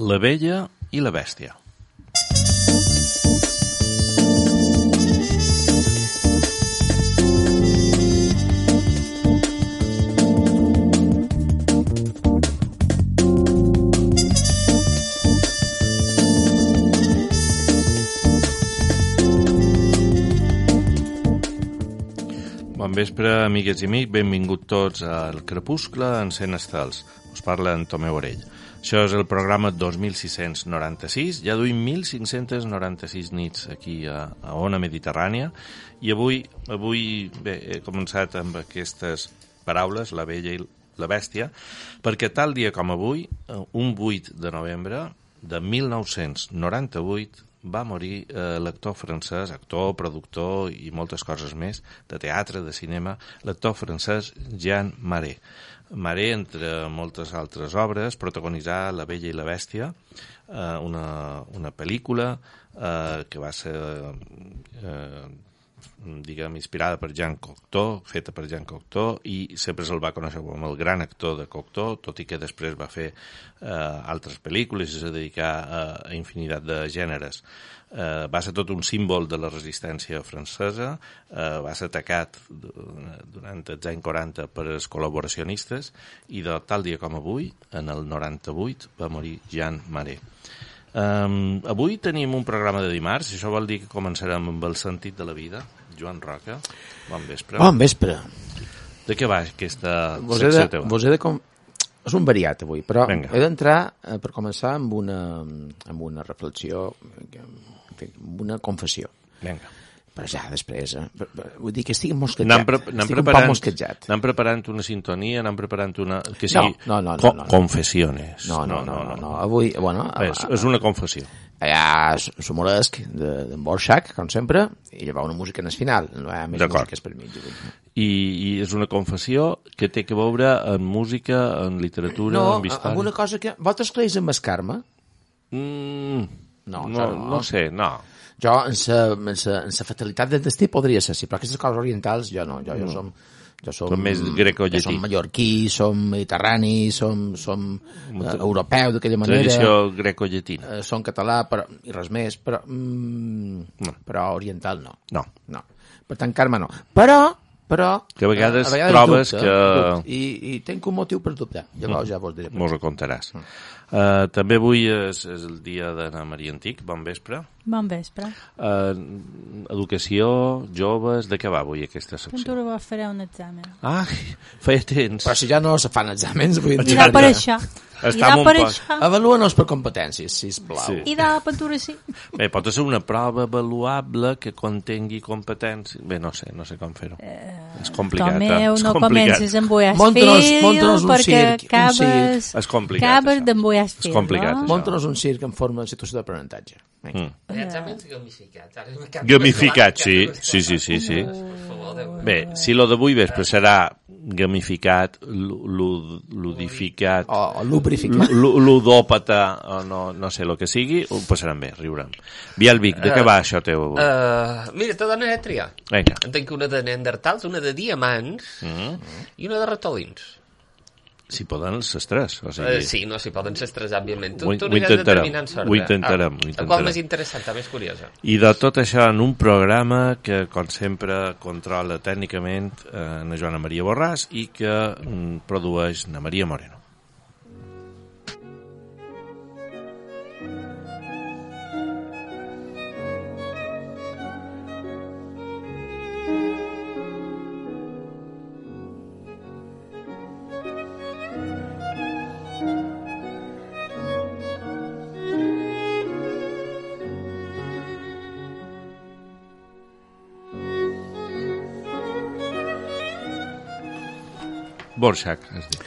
La Bella i la Bèstia. Bon vespre, amigues i amics, benvinguts tots al Crepuscle en 100 estels. Us parla en Tomeu Orell. Això és el programa 2696, ja duim 1596 nits aquí a Ona Mediterrània, i avui bé, he començat amb aquestes paraules, la Bella i la Bèstia, perquè tal dia com avui, un 8 de novembre de 1998, va morir l'actor francès, actor, productor i moltes coses més, de teatre, de cinema, l'actor francès Jean Marais. Marais, entre moltes altres obres, protagonitzà La Bella i la Bèstia, una pel·lícula que va ser inspirada per Jean Cocteau, feta per Jean Cocteau, i sempre se'l va conèixer com el gran actor de Cocteau, tot i que després va fer altres pel·lícules i se dedicà a infinitat de gèneres. Va ser tot un símbol de la resistència francesa, va ser atacat durant els anys 40 per els col·laboracionistes, i de tal dia com avui, en el 98, va morir Jean Marais. Avui tenim un programa de dimarts, i això vol dir que començarem amb el sentit de la vida. Joan Roca, bon vespre. Bon vespre. De què va aquesta secció teva? És un variat avui, però Venga. He d'entrar, per començar, amb una reflexió, amb una confessió. Vinga. Però ja, després, vull dir que estic mosquejat. Estic un poc mosquejat. Anem preparant una sintonia, anem preparant una... Que sigui no. Confessiones. No. Avui, bueno... És una confessió. Allà s'humoresc d'en Borxac, com sempre, i llavors una música en el final. No hi ha més músiques per mi. I és una confessió que té que veure en música, en literatura, en història... No, amb una cosa que... Vosaltres creus en el karma? No sé, no. Jo, en la fatalitat del destí podria ser, sí, però aquestes coses orientals jo no. Jo som més greco-llatí. Jo som mallorquí, som mediterrani, som europeu d'aquella manera. Tradició greco-llatina. Som català, i res més, però oriental no. No. Per tant, karma no. Però que a vegades trobes dubte, que... I tenc un motiu per dubtar. Llavors ja vos diré. Mos ho contaràs. També avui és el dia d'Anna Maria Antic. Bon vespre. Bon vespre. Educació, joves, de què va avui aquesta secció? Ventura va fer un examen. Feia temps. Però si ja no se fan exàmens, vull dir... I da per això. Avaluem-nos per competències, sisplau. Sí. I da Ventura sí. Bé, pot ser una prova avaluable que contengui competències. Bé, no sé com fer-ho. És complicat. Tomeu, no comences amb boies filho, perquè acabes d'embullar filho. És complicat, això. Monta-nos un circ en forma de situació d'aprenentatge. Exàmens gamificats. Gamificat, sí. Bé, si lo d'avui vespre serà gamificat, ludificat, o lubrificat, ludòpata, o no sé el que sigui, ho passarem bé, riurem. Bielvic, de què va això teu avui? Mira, te dones a triar. Vinga. En tinc una de neandertals, una de diamants i una de ratolins. Si poden les tres. O sigui... Sí, no, si poden les tres, òbviament. Tu ho intentarem. Qual més interessant, més curiosa. I de tot això en un programa que, com sempre, controla tècnicament na Joana Maria Borràs i que produeix na Maria Moreno. Borxac, es diu.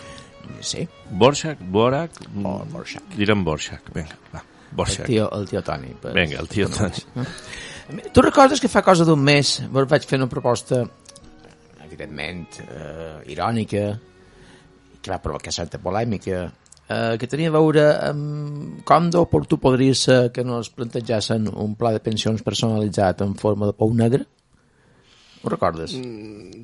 Sí. Borxac, Borac... Borxac. Direm Borxac, vinga, va. Borxac. El tio Toni. Vinga, el tio Toni. Tu recordes que fa cosa d'un mes vaig fer una proposta, evidentment, irònica, que va provocar certa polèmica, que tenia a veure amb com d'oportú podria ser que no es plantejassen un pla de pensions personalitzat en forma de pou negre? Ho recordes?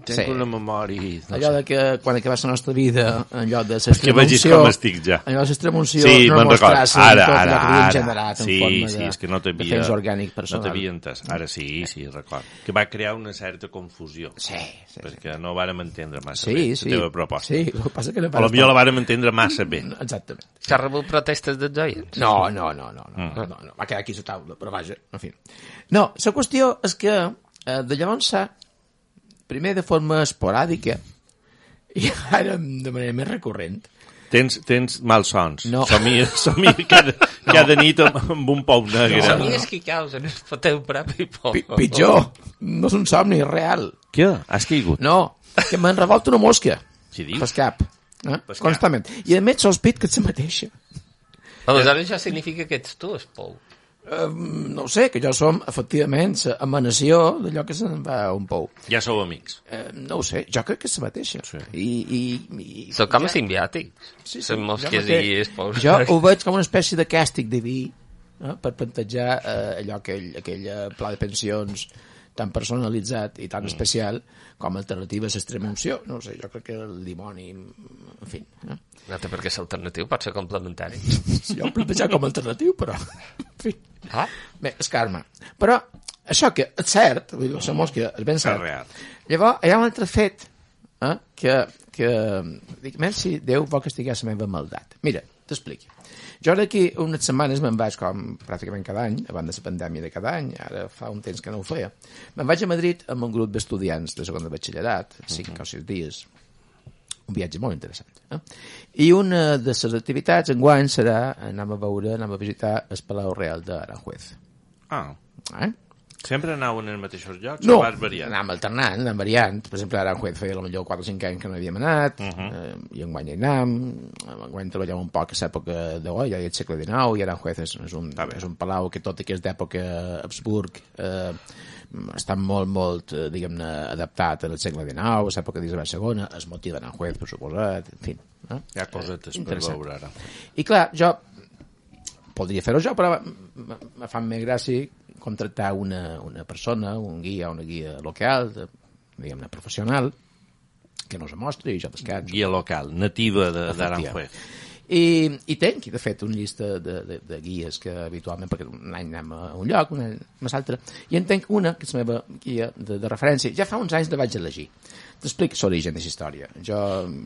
Tenc una memòria... Allò de que quan acabés la nostra vida, en lloc de l'extremunció... Que vegis com estic ja. En lloc de l'extremunció, no mostrassin tot allò que havien generat en forma de temps orgànic personal. No t'havia entès. Ara sí, record. Que va crear una certa confusió. Sí. Perquè no vàrem entendre massa bé la teva proposta. Sí, el que passa que no o potser la vàrem entendre massa bé. Exactament. S'ha rebut protestes dels oients? No. Va quedar aquí a la taula, però vaja, en fi. No, la qüestió és que de llavors primer de forma esporàdica i ara de manera més recurrent. Tens malsons. No. Somia cada nit amb un pou negre. Somies que causen el teu propi por. Pitjor, no és un somni, és real. Què? Has caigut? No, que m'han revoltat una mosca. Què dius? Pel cap. Constantment. I a més sospit que ets la mateixa. Aleshores això significa que ets tu, el pou. No ho sé, que jo som, efectivament, l'emanació d'allò que se'n va a un pou. Ja sou amics. No ho sé, jo crec que és la mateixa. Sí. Sou com a simbiòtics. Sí. Són mosques i els pous. Jo ho veig com una espècie de càstig diví per plantejar aquell pla de pensions tan personalitzat i tan especial com a alternativa a l'extremunció. No ho sé, jo crec que el dimoni, en fi. No té per què ser alternatiu, pot ser complementari. Jo ho plantejar com a alternatiu, però... En fi. Bé, és karma. Però això que és cert, vull dir, la mosca és ben cert. Llavors, hi ha un altre fet que dic, merci, Déu vol castigar la meva maldat. Mira, t'explico. Jo d'aquí unes setmanes me'n vaig, com pràcticament cada any, abans de la pandèmia de cada any, ara fa un temps que no ho feia, me'n vaig a Madrid amb un grup d'estudiants de segon de batxillerat, 5 o 6 dies, un viatge molt interessant. I una de les activitats enguany serà anem a visitar el Palau Real d'Aranjuez. Sempre anaven en els mateixos llocs? No, o vas variant? anàvem alternant, anàvem variant. Per exemple, a Aranjuez feia potser 4 o 5 anys que no havíem anat, i enguany hi anàvem, enguany treballàvem un poc a l'època de Goya, i el segle XIX, i Aranjuez és un palau que tot i que és d'època Habsburg, està molt, diguem-ne, adaptat al segle XIX, a l'època d'Isabel II, el motiu d'Aranjuez, per suposat, en fi. Hi ha cosetes per veure ara. I clar, jo podria fer-ho jo, però me fa més gràcia contractar una persona, un guia, una guia local, diguem-ne, professional, que no se mostri i jo descanso. Guia local, nativa d'Aranjuez. I tenc, de fet, una llista de guies que habitualment, perquè un any anem a un lloc, un any a l'altre, i en tenc una, que és la meva guia de referència. Ja fa uns anys la vaig elegir. T'explico l'origen de la història. Jo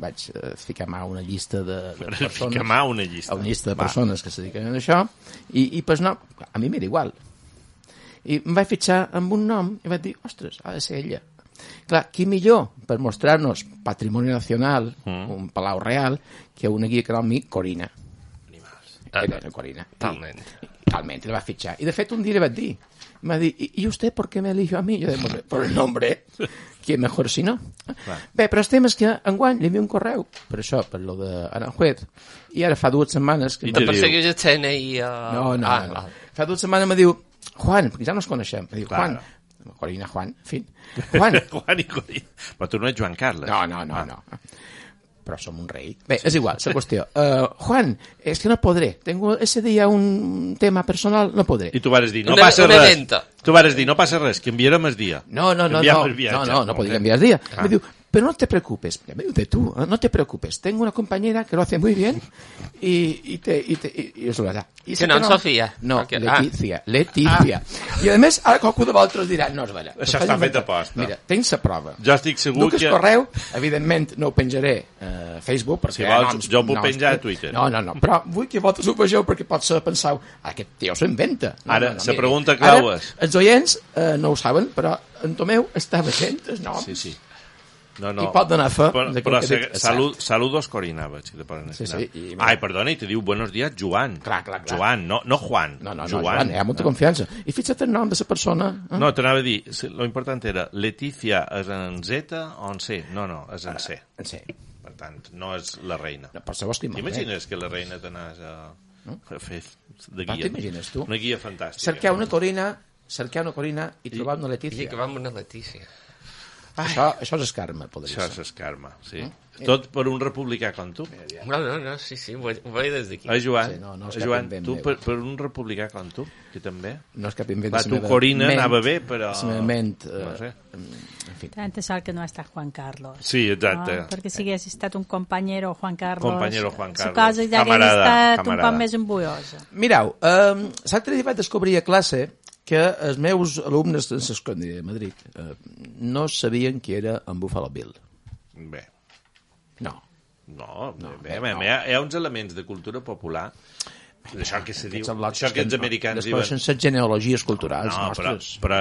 vaig ficar mà una llista de persones... Ficar mà una llista de persones que se dediquen a això, i pues no, a mi m'era igual. I em vaig fitxar amb un nom i vaig dir, ostres, ha de ser ella. Clar, qui millor per mostrar-nos patrimoni nacional, un palau real, que una guia que era el mi, Corina. Corina. Talment, la va fitxar. I de fet un dia li vaig dir, me va dir, ¿y usted por qué me eligió a mí? Yo digo, por el nombre, ¿quién mejor si no? Bé, però el tema és que enguany li envio un correu, per això, per lo d'Aranjuez, i ara fa 2 setmanes... I te persegueix el CNI? No. Fa 2 setmanes me diu, Juan, perquè ja no ens coneixem, me diu, Juan, Corina, Juan, en fi. Juan i Corina. Però tu no ets Joan Carles. No. Però som un rei. Bé, és igual, la qüestió. Juan, es que no podré. Tengo ese día un tema personal, no podré. I tu vas dir, no passa res. Tu vas dir, no passa res, que enviarem el dia. No podria enviar el dia. Me diu, pero no te preocupes, me diu de tú, no te preocupes, tengo una compañera que lo hace muy bien y és la verdad. Que no, Sofia. No, Leticia. I a més, ara qualcú de vosaltres dirà, no, és vera. Això està fet a posta. Mira, tens la prova. Jo estic segur que... Duc el correu, evidentment no ho penjaré a Facebook, perquè... Si vols, jo ho puc penjar a Twitter. No, però vull que vosaltres ho vegeu perquè potser penseu, aquest tio s'ho inventa. Ara, la pregunta clau és... Els oients no ho saben, però en Tomeu està veient el nom. Sí. No. I pot donar fe. Però saludos Corina, si te ponen sí. Ai, perdona, i te diu buenos días Joan. Clar. Joan, no Juan. No, Joan, hi ha molta confiança. I fixa't el nom de la persona. No, t'anava a dir, lo important era Leticia és en Z o en C? No, és en C. En C. Per tant, no és la reina. No, per saber estimar. T'imagines que la reina t'anàs a fer de guia? T'imagines tu? Una guia fantàstica. Cercar una Corina i trobar una Letícia. I que va amb una Letícia. Això és escarma, podria ser. Això és escarma, sí. Tot per un republicà com tu. No, sí, ho veig des d'aquí. Joan, sí, Joan, tu per un republicà com tu, que també... No és cap invent. Va, tu, Corina, anava bé, però... La meva ment... No sé. En fi. Tanta sort que no està Juan Carlos. Sí, exacte. No? Perquè si hagués estat un companyero Juan Carlos... La cosa ja hauria estat un poc més embullosa. Mireu, l'altre dia vaig descobrir a classe que els meus alumnes de l'escola de Madrid no sabien qui era en Buffalo Bill. Bé. No, hi ha uns elements de cultura popular, això que se diu, això que els americans diuen... Després són genealogies culturals nostres. Però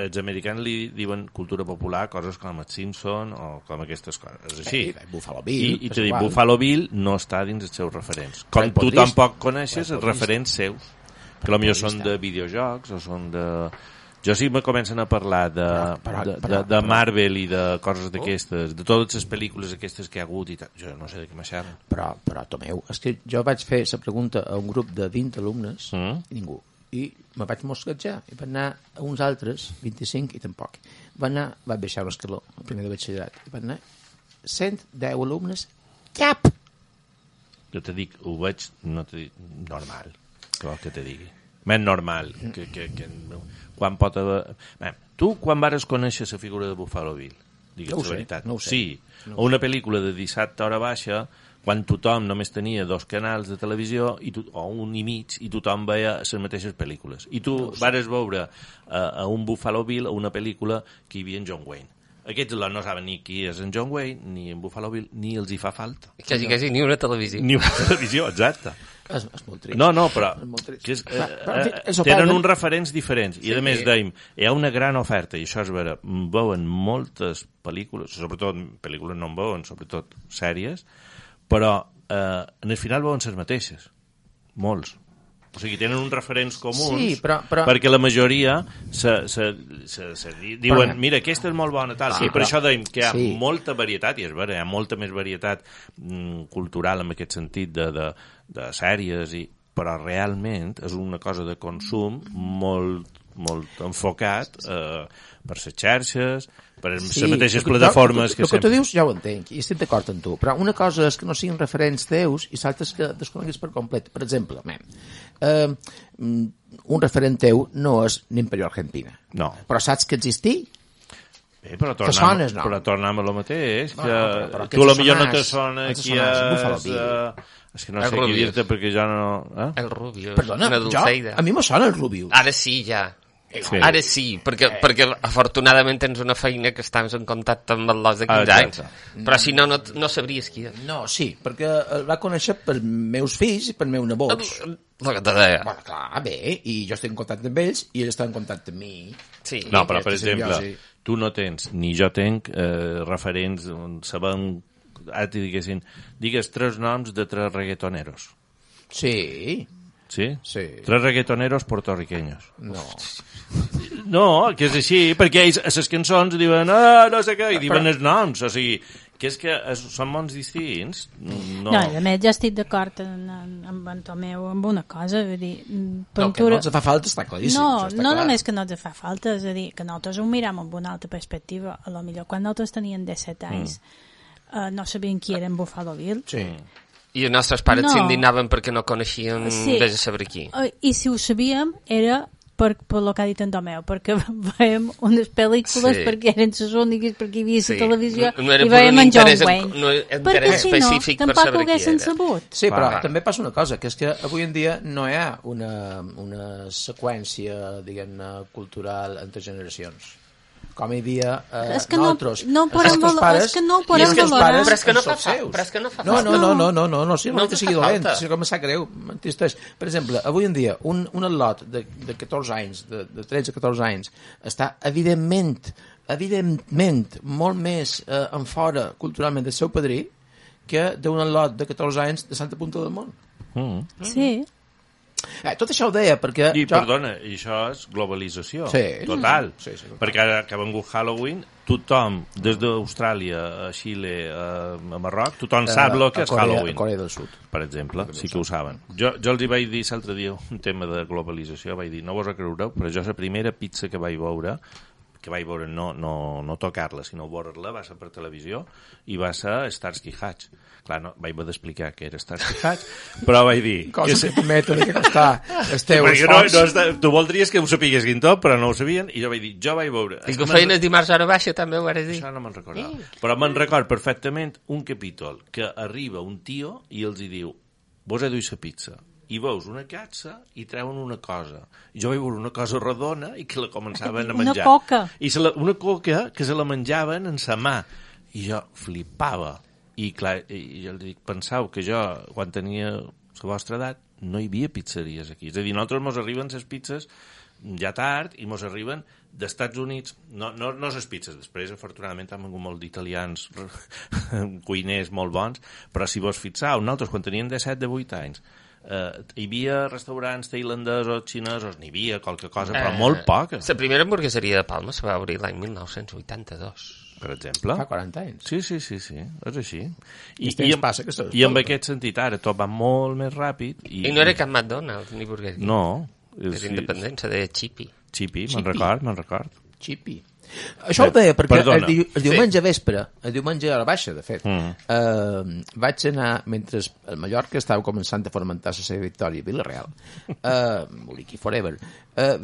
els americans li diuen cultura popular coses com els Simpson o com aquestes coses. És així. Buffalo Bill. I t'he dit, Buffalo Bill no està dins els seus referents. Com tu tampoc coneixes els referents seus, que potser són de videojocs o són de... Jo sí me comencen a parlar de Marvel i de coses d'aquestes, de totes les pel·lícules aquestes que hi ha hagut i tal. Jo no sé de què m'aixerren. Però, Tomeu, és que jo vaig fer la pregunta a un grup de 20 alumnes i ningú. I me vaig mosquejar i van anar a uns altres, 25 i tampoc. Vaig baixar un escaló, el primer de batxillerat, i van anar 110 alumnes, cap! Jo te dic, ho veig, no te dic, normal, què vol que te digui? Més normal, que quan pot haver... Bé, tu, quan vares conèixer la figura de Buffalo Bill? Digues la veritat. No ho sé. Sí, o una pel·lícula de dissabte a hora baixa, quan tothom només tenia 2 canals de televisió o un i mig, i tothom veia les mateixes pel·lícules. I tu vares veure a un Buffalo Bill, a una pel·lícula que hi havia en John Wayne. Aquests no saben ni qui és en John Wayne, ni en Buffalo Bill, ni els hi fa falta. Quasi ni una televisió. Ni una televisió, exacte. És molt trist. No, però que tenen uns referents diferents. I a més dèiem, hi ha una gran oferta, i això és vera, veuen moltes pel·lícules, sobretot pel·lícules no en veuen, sobretot sèries, però en el final veuen les mateixes. Molts. O sigui, tenen uns referents comuns, perquè la majoria diuen, mira, aquesta és molt bona, tal. I per això dèiem que hi ha molta varietat, i és vera, hi ha molta més varietat cultural en aquest sentit de sèries, però realment és una cosa de consum molt enfocat per les xarxes, per les mateixes plataformes que sempre... El que tu dius ja ho entenc, i estic d'acord amb tu, però una cosa és que no siguin referents teus i l'altra és que desconeguis per complet. Per exemple, un referent teu no és l'Imperio Argentina. No. Però saps que existí? Bé, però tornem a lo mateix, que tu potser no te sona qui és que no sé què dir-te perquè ja no... El Rubio. Perdona, a mi me sona el Rubio. Ara sí, ja. Sí. Ara sí, perquè afortunadament tens una feina que estàs en contacte amb els de 15 anys, però si no sabries qui és. No, sí, perquè el va conèixer per meus fills i per meus nebots. El que te deia. Bueno, clar, bé, i jo estic en contacte amb ells i ells estan en contacte amb mi. Sí. No, però per exemple, tu no tens, ni jo tenc referents on sabem, ara t'hi digues 3 noms de 3 reggaetoneros. Sí. ¿Sí? Sí. 3 reggaetoneros puertorriqueños. No, que és així, perquè ells a les cançons diuen no sé què, i diuen els noms, o sigui, que és que són mons distints. No, i a més jo estic d'acord amb en Tomeu amb una cosa, vull dir... Que no ens fa falta, està claríssim. No només que no ens fa falta, és a dir, que nosaltres ho miram amb una altra perspectiva, a lo millor quan nosaltres teníem 17 anys no sabien qui era en Buffalo Bill. Sí. I els nostres pares s'indignaven perquè no coneixien de saber qui. I si ho sabíem era per el que ha dit en Tomeu, perquè veiem unes pel·lícules perquè eren les úniques, perquè hi havia la televisió i veiem en John Wayne. No era interès específic per saber qui era. Tampoc ho haguessin sabut. Sí, però també passa una cosa, que és que avui en dia no hi ha una seqüència, diguem-ne, cultural entre generacions. Com hi havia nosaltres. És que no ho podem valorar. Però és que no fa falta. No, si no que sigui dolent, si com em sap greu, m'entisteix. Per exemple, avui en dia, un atlot de 14 anys, de 13-14 anys, està evidentment molt més en fora culturalment del seu padrí que d'un atlot de 14 anys de Santa Punta del Mont. Sí. Tot això ho deia perquè... Perdona, i això és globalització, total. Sí. Perquè ara que ha vengut Halloween, tothom, des d'Austràlia a Xile, a Marroc, tothom sap el que és Halloween. A Corea del Sud. Per exemple, sí que ho saben. Jo els hi vaig dir l'altre dia un tema de globalització, vaig dir, no vos ho creureu, però jo la primera pizza que vaig veure, que vaig veure no tocar-la, sinó veure-la, va ser per televisió, i va ser Starsky Hutch. Clar, no, vaig haver d'explicar què era Starsky Hutch, però vaig dir... Cosa que permeten que no està els teus fons. Tu voldries que ho sapiguessin tot, però no ho sabien, i jo vaig dir, jo vaig veure... I que ho feien el dimarts a hora baixa, també ho vaig dir. Això no me'n recordava. Però me'n record perfectament un capítol que arriba un tio i els hi diu, vos he duit la pizza. I veus una caixa i treuen una cosa. Jo vaig veure una cosa rodona i que la començaven a menjar. Una coca. Una coca que se la menjaven en sa mà. I jo flipava. I clar, jo li dic, pensau que jo, quan tenia la vostra edat, no hi havia pizzeries aquí. És a dir, nosaltres mos arriben les pizzas ja tard i mos arriben d'Estats Units, no les pizzas, després afortunadament han vingut molt d'italians cuiners molt bons, però si vos fixau, nosaltres quan teníem 17-18 anys hi havia restaurants tailandesos, xinesos, n'hi havia qualque cosa, però molt poca. La primera hamburgueseria de Palma se va obrir l'any 1982. Per exemple. Fa 40 anys. Sí, és així. I en aquest sentit, ara tot va molt més ràpid. I no era cap McDonald's ni Burger King. No. És independent, se deia Chippy. Chippy, me'n record. Chippy. Això ho deia perquè el diumenge vespre, el diumenge a la baixa, de fet, vaig anar, mentre el Mallorca estava començant a fomentar la seva victòria a Villarreal, Muriqui Forever,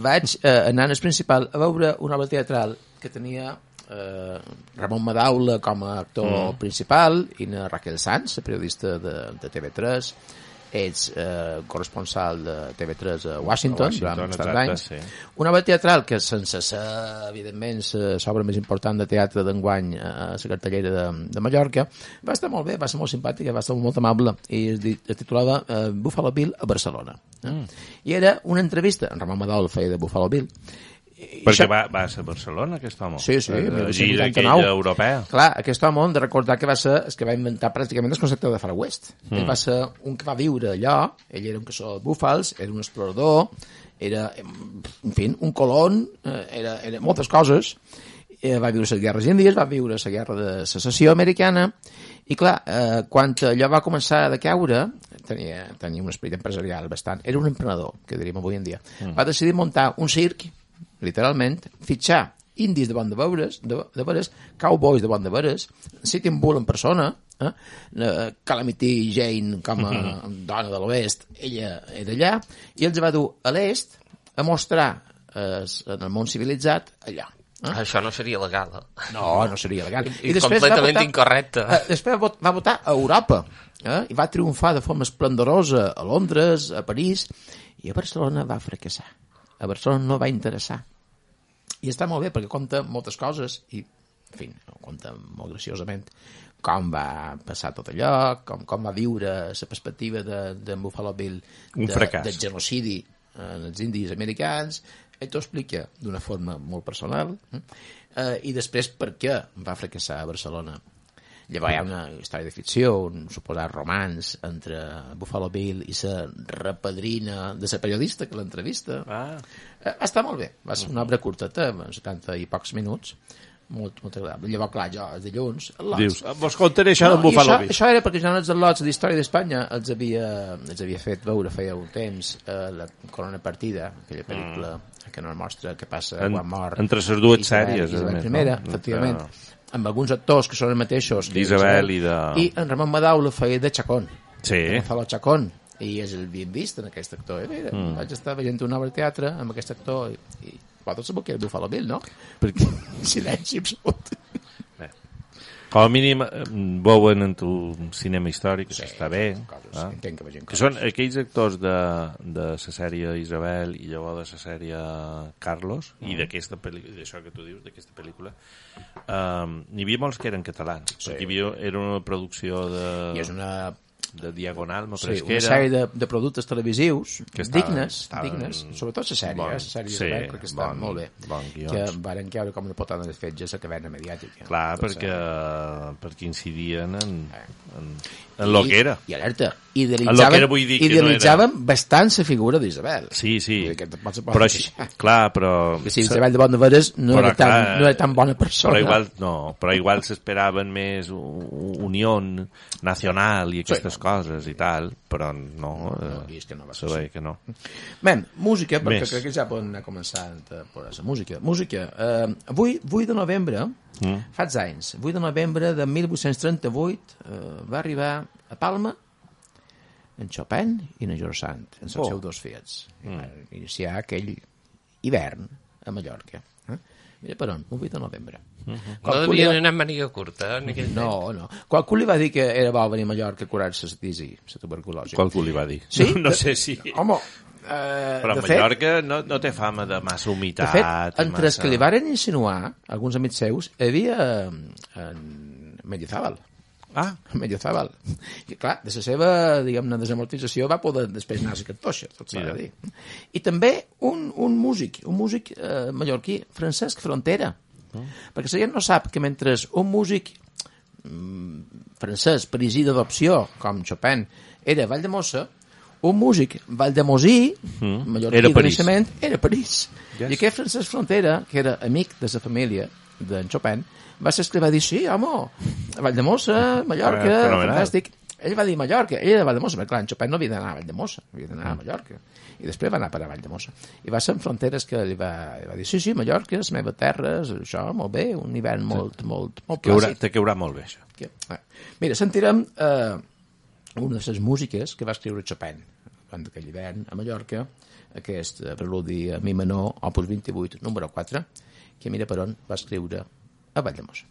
vaig anar al principal a veure una obra teatral que tenia Ramon Madaula com a actor principal i na Raquel Sanz, la periodista de TV3, ets corresponsal de TV3 a Washington durant bastants anys. Sí. Una obra teatral que, sense ser, evidentment, l'obra més important de teatre d'enguany a la cartellera de Mallorca, va estar molt bé, va ser molt simpàtica, va estar molt amable, i es titulava Buffalo Bill a Barcelona. I era una entrevista, en Ramon Madaula feia de Buffalo Bill, perquè va ser a Barcelona, aquest home. Sí, gira aquella europea. Clar, aquest home, hem de recordar que va ser el que va inventar pràcticament el concepte de Far West. Ell va ser un que va viure allò, ell era un caçador de búfals, era un explorador, era, en fi, un colon, era moltes coses. Va viure les guerres índies, va viure la guerra de secessió americana, i clar, quan allò va començar a decaure, tenia un esperit empresarial bastant, era un emprenedor, que diríem avui en dia, va decidir muntar un circ, literalment, fitxar indis de bon de veres, cowboys de bon de veres, Sitting Bull en persona, Calamity Jane com a dona de l'oest, ella era allà, i els va dur a l'est a mostrar en el món civilitzat allà. Això no seria legal. No seria legal. I completament incorrecte. Després va votar a Europa, i va triomfar de forma esplendorosa a Londres, a París, i a Barcelona va fracassar. A Barcelona no va interessar. I està molt bé, perquè conta moltes coses, i, en fi, conta molt graciosament com va passar tot allò, com va viure la perspectiva de Buffalo Bill del genocidi en els indis americans. Ell t'ho explica d'una forma molt personal, i després per què va fracassar a Barcelona. Llavors hi ha una història de ficció, un suposat romanç entre Buffalo Bill i la repadrina de la periodista que l'entrevista. Va estar molt bé, va ser una obra curteta, 70 i pocs minuts, molt agradable. Llavors, clar, jo, els dilluns... Dius, vos contaré això d'en Buffalo Bill. Això era perquè jo els lots d'Història d'Espanya els havia fet veure feia un temps la Corona Partida, aquella pel·lícula que no mostra què passa quan mor. Entre les dues sèries, Isabel I, efectivament, amb alguns actors que són els mateixos d'Isabel i en Ramon Madaula feia de Chacón, Gonzalo Chacón, i és el bien vist en aquest actor. Mira, vaig estar veient una obra de teatre amb aquest actor i vosaltres sabeu que era Buffalo Bill, no? Perquè silenci absolut. Com a mínim veuen en tu cinema històric, que està bé. Que són aquells actors de la sèrie Isabel i llavors de la sèrie Carlos, i d'aquesta pel·lícula, d'això que tu dius, d'aquesta pel·lícula, n'hi havia molts que eren catalans, perquè era una producció de Diagonal, una sèrie de productes televisius dignes, sobretot la sèrie Isabel, perquè estan molt bé, que varen caure com una potada de fetge a la cadena mediàtica. Clar, perquè incidien en en lo que era. I alerta, idealitzaven bastant la figura d'Isabel. Sí. Però que si Isabel de Bonneveres no era tan bona persona. Però igual s'esperaven més unió nacional i aquestes coses i tal, però no. És que no va ser que no. Bé, música, perquè crec que ja poden anar començant a posar la música. Música, 8 de novembre, fa anys, 8 de novembre de 1838 va arribar a Palma en Chopin i en George Sand, en els seus dos fills. Iniciar aquell hivern a Mallorca. Mira per on, 8 de novembre. No devien anar amb màniga curta? No. Qualcú li va dir que era bo venir a Mallorca a curar-se la tuberculosi. Qualcú li va dir. Sí? No sé si... Home, però a Mallorca no té fama de massa humitat. De fet, entre els que li varen insinuar, alguns amics seus, hi havia en Mendizábal. Mendizábal. I clar, de la seva, diguem-ne, desamortització va poder després anar a la cartoixa, tot s'ha de dir. I també un músic mallorquí, Francesc Frontera. Perquè la gent no sap que mentre un músic francès, parisí d'adopció, com Chopin, era Valldemossa, un músic valldemosí, mallorquí de naixement, era París. I aquest Francesc Frontera, que era amic de la família d'en Chopin, va ser que va dir, sí, home, Valldemossa, Mallorca, fantàstic. Ell va dir Mallorca, ell era de Valldemossa, perquè clar, en Chopin no havia d'anar a Valldemossa, havia d'anar a Mallorca. I després va anar per a Valldemossa. I va ser en Fronteres que li va dir, sí, Mallorca, les meves terres, això, molt bé, un hivern molt plàcid. Te queurà molt bé, això. Mira, sentirem una de les músiques que va escriure Chopin durant aquell hivern a Mallorca, aquest preludi a mi menor, opus 28, número 4, que mira per on va escriure a Valldemossa.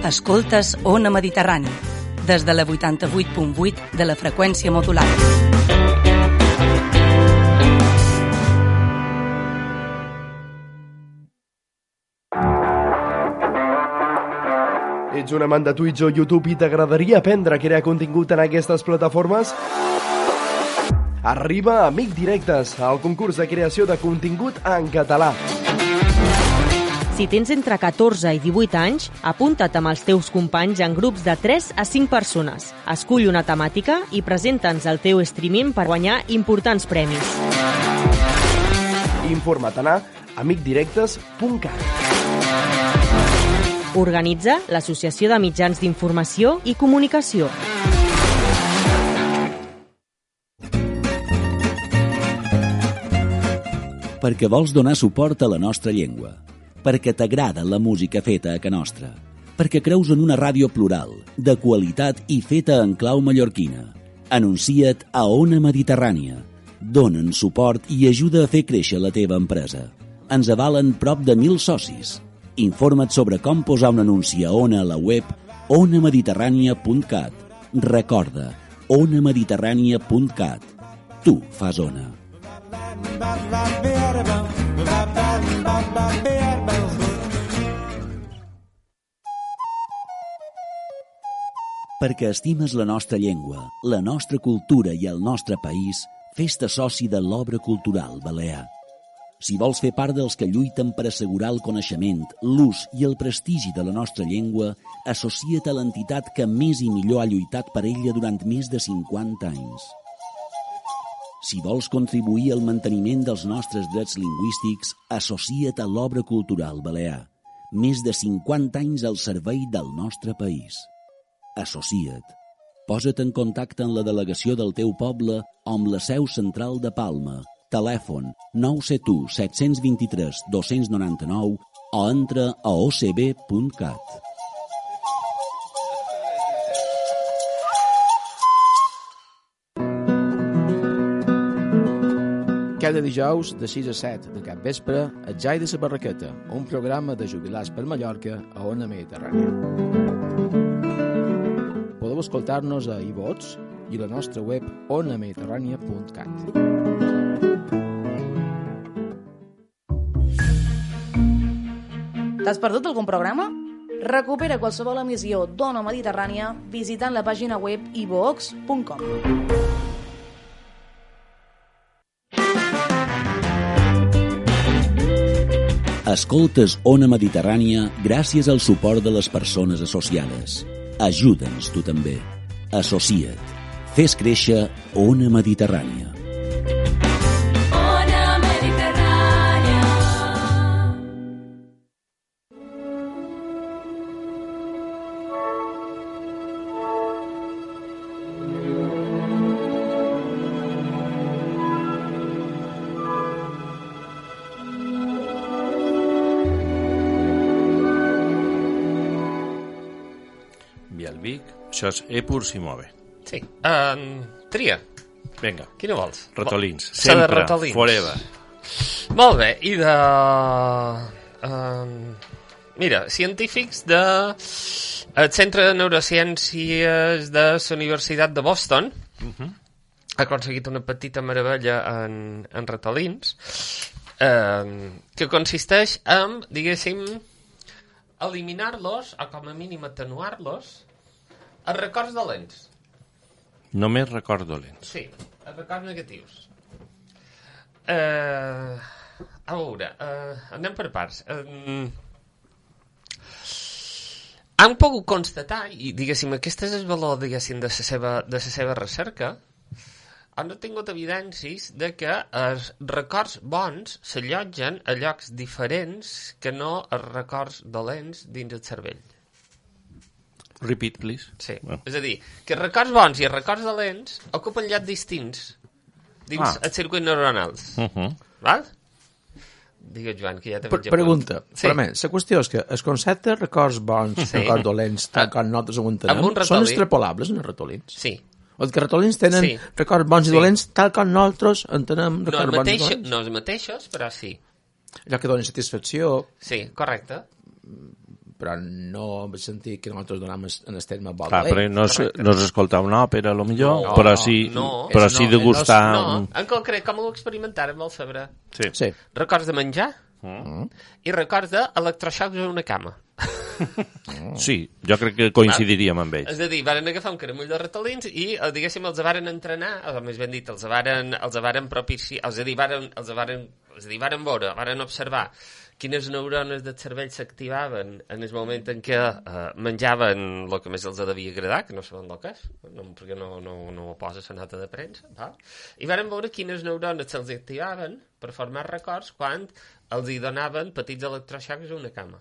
Escoltes Ona Mediterrani, des de la 88.8 de la freqüència modulada. Ets un amant de Twitch o YouTube i t'agradaria aprendre a crear contingut en aquestes plataformes? Arriba Amic Directes, el concurs de creació de contingut en català. Si tens entre 14 i 18 anys, apunta't amb els teus companys en grups de 3 a 5 persones. Escull una temàtica i presenta'ns el teu streaming per guanyar importants premis. Informa't a amicdirectes.cat. Organitza l'Associació de Mitjans d'Informació i Comunicació. Perquè vols donar suport a la nostra llengua, perquè t'agrada la música feta a ca nostra, perquè creus en una ràdio plural, de qualitat i feta en clau mallorquina. Anuncia't a Ona Mediterrània. Donen suport i ajuda a fer créixer la teva empresa. Ens avalen prop de 1.000 socis. Informa't sobre com posar un anunci a Ona a la web onamediterrània.cat. Recorda, onamediterrània.cat. Tu fas Ona. Perquè estimes la nostra llengua, la nostra cultura i el nostre país, fes-te soci de l'Obra Cultural Balear. Si vols fer part dels que lluiten per assegurar el coneixement, l'ús i el prestigi de la nostra llengua, associa't a l'entitat que més i millor ha lluitat per ella durant més de 50 anys. Si vols contribuir al manteniment dels nostres drets lingüístics, associa't a l'Obra Cultural Balear. Més de 50 anys al servei del nostre país. Associa't. Posa't en contacte amb la delegació del teu poble o amb la seu central de Palma. Telèfon 971 723 299 o entra a ocb.cat. Cada dijous de 6 a 7 de cap vespre a Jai de la Barraqueta, un programa de jubilats per Mallorca a Ona Mediterrània. Podeu escoltar-nos a iVox i a la nostra web onamediterrània.cat. T'has perdut algun programa? Recupera qualsevol emissió d'Ona Mediterrània visitant la pàgina web ivox.com. Escoltes Ona Mediterrània gràcies al suport de les persones associades. Ajuda'ns tu també. Associa't. Fes créixer Ona Mediterrània. Ona Mediterrània. Vic, això és Epur si move. Sí. Tria. Vinga. Quina vols? Ratolins. Sempre, de ratolins. Forever. Molt bé. I de... mira, científics de... el Centre de Neurociències de la Universitat de Boston ha aconseguit una petita meravella en ratolins que consisteix en, diguéssim, eliminar-los, o com a mínim atenuar-los, els records dolents. Només records dolents. Sí, els records negatius. A veure, anem per parts. Han pogut constatar, i diguéssim, aquest és el valor, diguéssim, de la seva recerca, han tingut evidències de que els records bons s'allotgen a llocs diferents que no els records dolents dins el cervell. Repeat, please. Sí, és a dir, que els records bons i els records dolents ocupen llocs distints dins els circuits neuronals. Val? Digues, Joan, que ja t'he menjat. Pregunta, sí. Però la qüestió és que els conceptes records bons, records dolents, tal com nosaltres ho entenem, són extrapolables en els ratolins? Sí. O els ratolins tenen records bons i dolents tal com nosaltres entenem records bons i dolents? No els mateixos, però sí. Allò que donen satisfacció... Sí, correcte. Però no vaig sentir que nosaltres donem en el terme bo dolent. Però no és escoltar una òpera, a lo millor, no, però sí degustar... No, en concret, com ho experimentarem al saber? Sí. Records de menjar i records d'electroxocs en una cama. Sí, jo crec que coincidiríem amb ells. És a dir, varen agafar un caramull de ratolins i, diguéssim, els varen entrenar, o més ben dit, els varen propiciar, és a dir, varen veure, varen observar quines neurones del cervell s'activaven en el moment en què menjaven el que més els devia agradar, que no saben el que és, perquè no ho posa la nota de premsa, i varen veure quines neurones se'ls activaven per formar records quan els hi donaven petits electroxocs a una cama.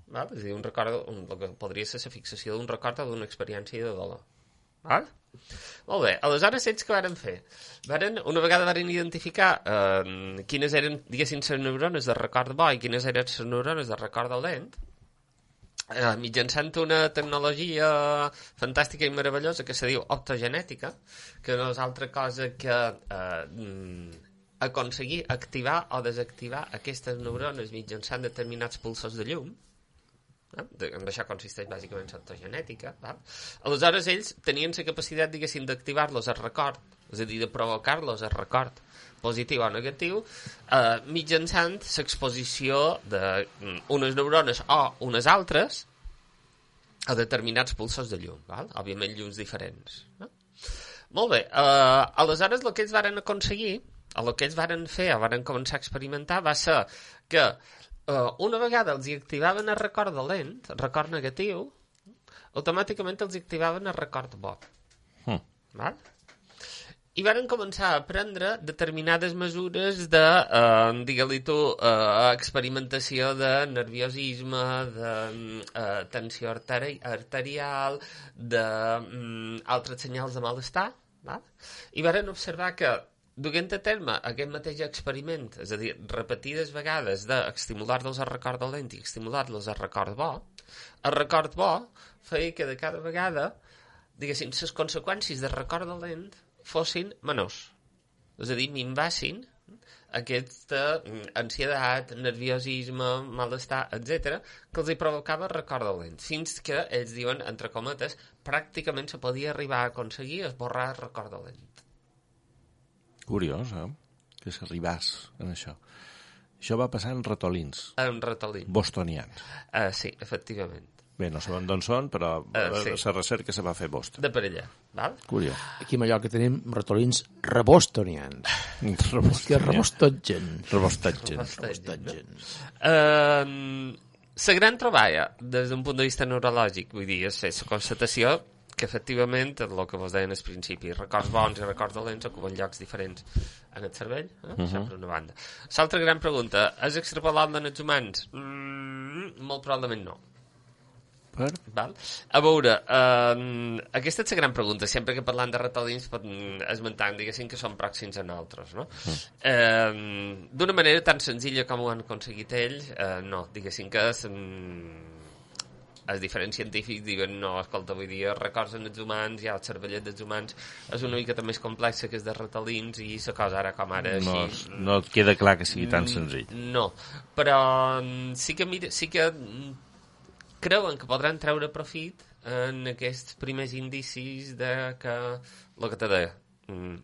Val? És a dir, un record, el que podria ser la fixació d'un record o d'una experiència de dolor. Val? Molt bé, aleshores ells què varen fer? Una vegada varen identificar quines eren, diguéssim, les neurones de record bo i quines eren les neurones de record dolent, mitjançant una tecnologia fantàstica i meravellosa que se diu optogenètica, que no és altra cosa que aconseguir activar o desactivar aquestes neurones mitjançant determinats pulsos de llum. En això consisteix bàsicament l'optogenètica. Aleshores ells tenien la capacitat, diguéssim, d'activar-los al record, és a dir, de provocar-los al record positiu o negatiu, mitjançant l'exposició d'unes neurones o unes altres a determinats pulsos de llum, òbviament llums diferents. Molt bé, aleshores el que ells varen aconseguir, el que ells varen fer o varen començar a experimentar va ser que una vegada els hi activaven el record dolent, el record negatiu, automàticament els hi activaven el record bo. Val? I varen començar a prendre determinades mesures de, digue-li tu, experimentació de nerviosisme, de tensió arterial, d'altres senyals de malestar, val? I varen observar que duent a terme aquest mateix experiment, és a dir, repetides vegades d'estimular-los al record dolent i estimular-los al record bo, el record bo feia que de cada vegada, diguéssim, les conseqüències del record dolent fossin menors. És a dir, minvassin aquesta ansietat, nerviosisme, malestar, etc., que els hi provocava el record dolent, fins que ells diuen, entre cometes, pràcticament se podia arribar a aconseguir esborrar el record dolent. Curiós, que s'arribàs en això. Això va passar en ratolins. En ratolins. Bostonians. Sí, efectivament. Bé, no sabem d'on són, però sí. La recerca se va fer a Boston. De per allà, val? Curiós. Aquí a Mallorca tenim ratolins rebostonians. Que rebostatgen. La gran troballa, des d'un punt de vista neurològic, vull dir, és la constatació que efectivament, el que vos deien al principi, records bons i records dolents ocupen llocs diferents en el cervell, això per una banda. L'altra gran pregunta, és extrapolable en els humans? Molt probablement no. Per? Val? A veure, aquesta és la gran pregunta, sempre que parlant de ratolins esmentant, diguéssim, que són pròxims a nosaltres, no? D'una manera tan senzilla com ho han aconseguit ells, no, diguéssim que és... Els diferents científics diuen, no, escolta, vull dir, records en els humans, ja el cervellet dels humans és una miqueta més complexa que és de ratolins i la cosa ara com ara així... No et queda clar que sigui tan senzill. No, però sí que creuen que podran treure profit en aquests primers indicis de que, el que te deia,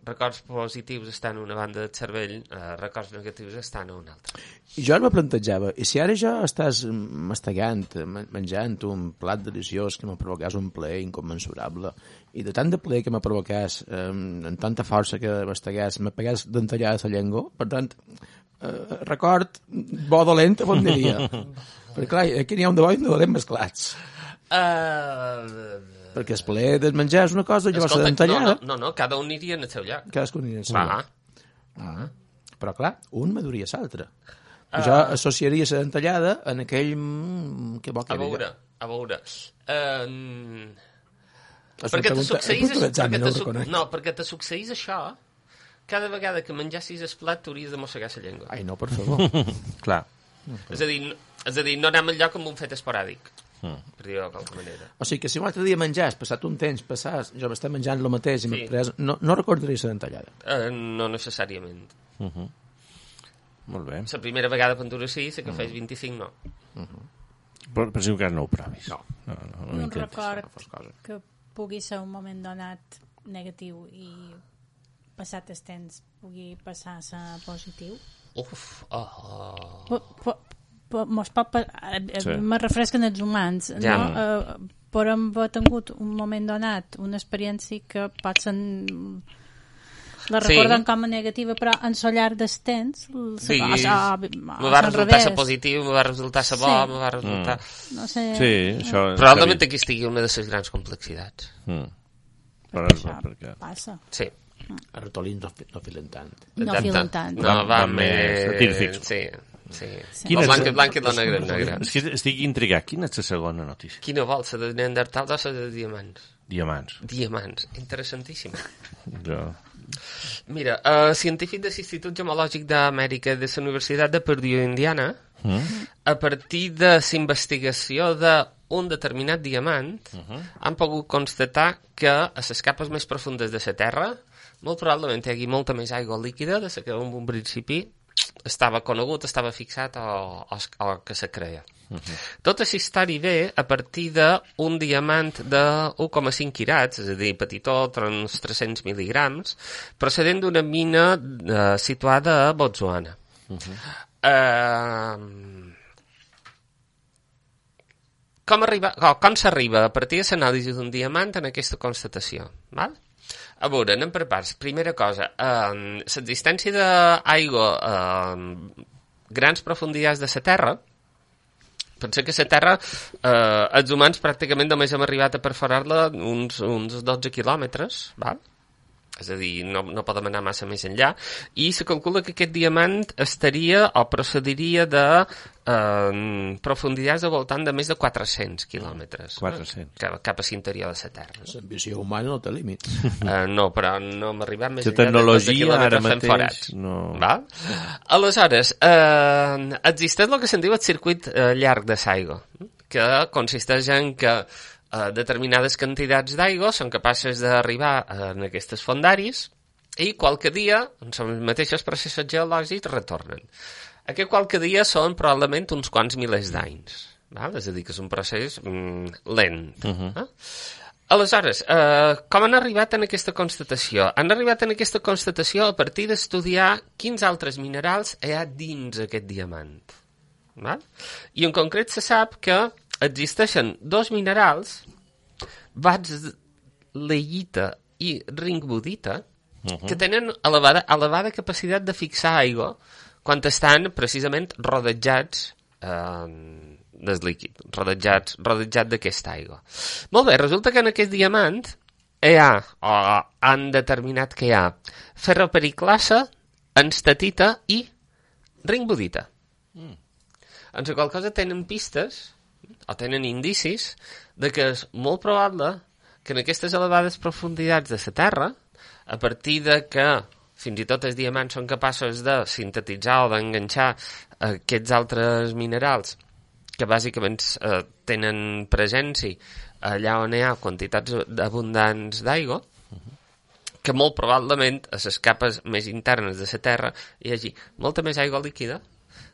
records positius estan a una banda del cervell, records negatius estan a una altra. I jo ara me plantejava, i si ara ja estàs mastegant, menjant un plat deliciós que me provocàs un plaer inconmensurable, i de tant de plaer que me provocàs, amb tanta força que mastegàs, me pegàs d'entallada la llengua, per tant, record bo dolent, on diria? Perquè clar, aquí n'hi ha un de bo i un de dolent mesclats. Perquè el plaer de menjar és una cosa, llavors la d'entallada... No, cada un aniria en el seu lloc. Cadascun aniria en el seu lloc. Però clar, un maduria l'altre. Jo associaria la dentallada en aquell... Que bo que a veure. Perquè te succeís això, cada vegada que menjassis el plat t'hauries de mossegar la llengua. Ai, no, per favor. Clar. És a dir, no anem al lloc amb un fet esporàdic, per dir-ho de qualque manera. O sigui que si un altre dia menjàs, passat un temps, jo m'estic menjant el mateix i no recordaria la dentallada. No necessàriament. Molt bé. La primera vegada pintura sí, la que fes 25 no. Però si encara no ho provis. No un record que pugui ser un moment donat negatiu i passat el temps pugui passar a ser positiu. me refresquen els humans, no? Però hem tingut un moment donat, una experiència que pot ser... La recorden com a negativa, però en so llarg del temps... Sí, me va resultar ser positiu, me va resultar ser bo, me va resultar... No sé... Sí, això... Probablement aquí estigui una de les grans complexitats. Però això passa. Sí. Els ratolins no filen tant. No filen tant. No, van més científics. Sí. La blanca i la negra. És que estic intrigat. Quina és la segona notícia? Quina vol, la de Neandertals o la de diamants? Diamants. Interessantíssima. Jo... Mira, científic de l'Institut Gemològic d'Amèrica de la Universitat de Purdue, Indiana, a partir de la investigació d'un determinat diamant, han pogut constatar que a les capes més profundes de la Terra molt probablement hi hagi molta més aigua líquida de la que en un principi estava conegut, estava fixat o que se creia. Tota la història ve a partir d'un diamant de 1,5 quirats, és a dir, petitó, uns 300 mil·ligrams, procedent d'una mina situada a Botswana. Com s'arriba a partir de l'anàlisi d'un diamant en aquesta constatació? Val? A veure, anem per parts. Primera cosa, l'existència d'aigua a grans profunditats de la Terra. Pensa que la Terra, els humans pràcticament només hem arribat a perforar-la uns 12 quilòmetres, val? És a dir, no podem anar massa més enllà, i se calcula que aquest diamant estaria o procediria de profunditats al voltant de més de 400 quilòmetres. 400. Cap a l'interior de la Terra. L'ambició humana no té límits. No, però no hem arribat més enllà de 12 quilòmetres fent forats. Val? Aleshores, existeix el que se'n diu el circuit llarg de l'aigua, que consisteix en que determinades quantitats d'aigua són capaces d'arribar en aquestes fondaris i qualque dia, en els mateixos processos geològics, retornen. Aquest qualque dia són probablement uns quants milers d'anys. És a dir, que és un procés lent. Aleshores, com han arribat en aquesta constatació? Han arribat en aquesta constatació a partir d'estudiar quins altres minerals hi ha dins aquest diamant. I en concret se sap que existeixen dos minerals, vatzleïta i ringbudita, que tenen elevada capacitat de fixar aigua quan estan precisament rodejats del líquid, rodejat d'aquesta aigua. Molt bé, resulta que en aquest diamant han determinat que hi ha ferropericlasa, enstatita i ringbudita. En la qual cosa tenen pistes o tenen indicis de que és molt probable que en aquestes elevades profunditats de la Terra, a partir de que fins i tot els diamants són capaços de sintetitzar o d'enganxar aquests altres minerals que bàsicament tenen presència allà on hi ha quantitats abundants d'aigua, que molt probablement a les capes més internes de la Terra hi hagi molta més aigua líquida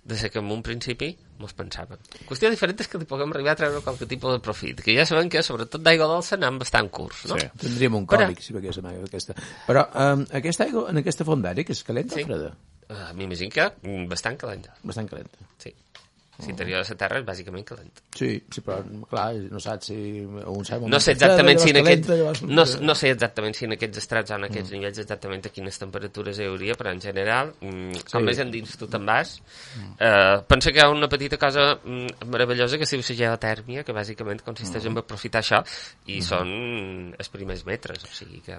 de la que en un principi mos pensàvem. La qüestió diferent és que li puguem arribar a treure qualque tipus de profit, que ja sabem que sobretot d'aigua dolça anem bastant curts, no? Sí. Tindríem un còlic si beguéssim aigua d'aquesta. Però aquesta aigua en aquesta fondària, que és calenta o freda? M'imagino que bastant calenta. Bastant calenta. Sí. L'interior de la Terra és bàsicament calent. Sí, però clar, no saps si... No sé exactament si en aquests estrats o en aquests nivells exactament a quines temperatures hi hauria, però en general, com més endins tu te'n vas, pensa que hi ha una petita cosa meravellosa que es diu la geotèrmia, que bàsicament consisteix en aprofitar això, i són els primers metres. O sigui que...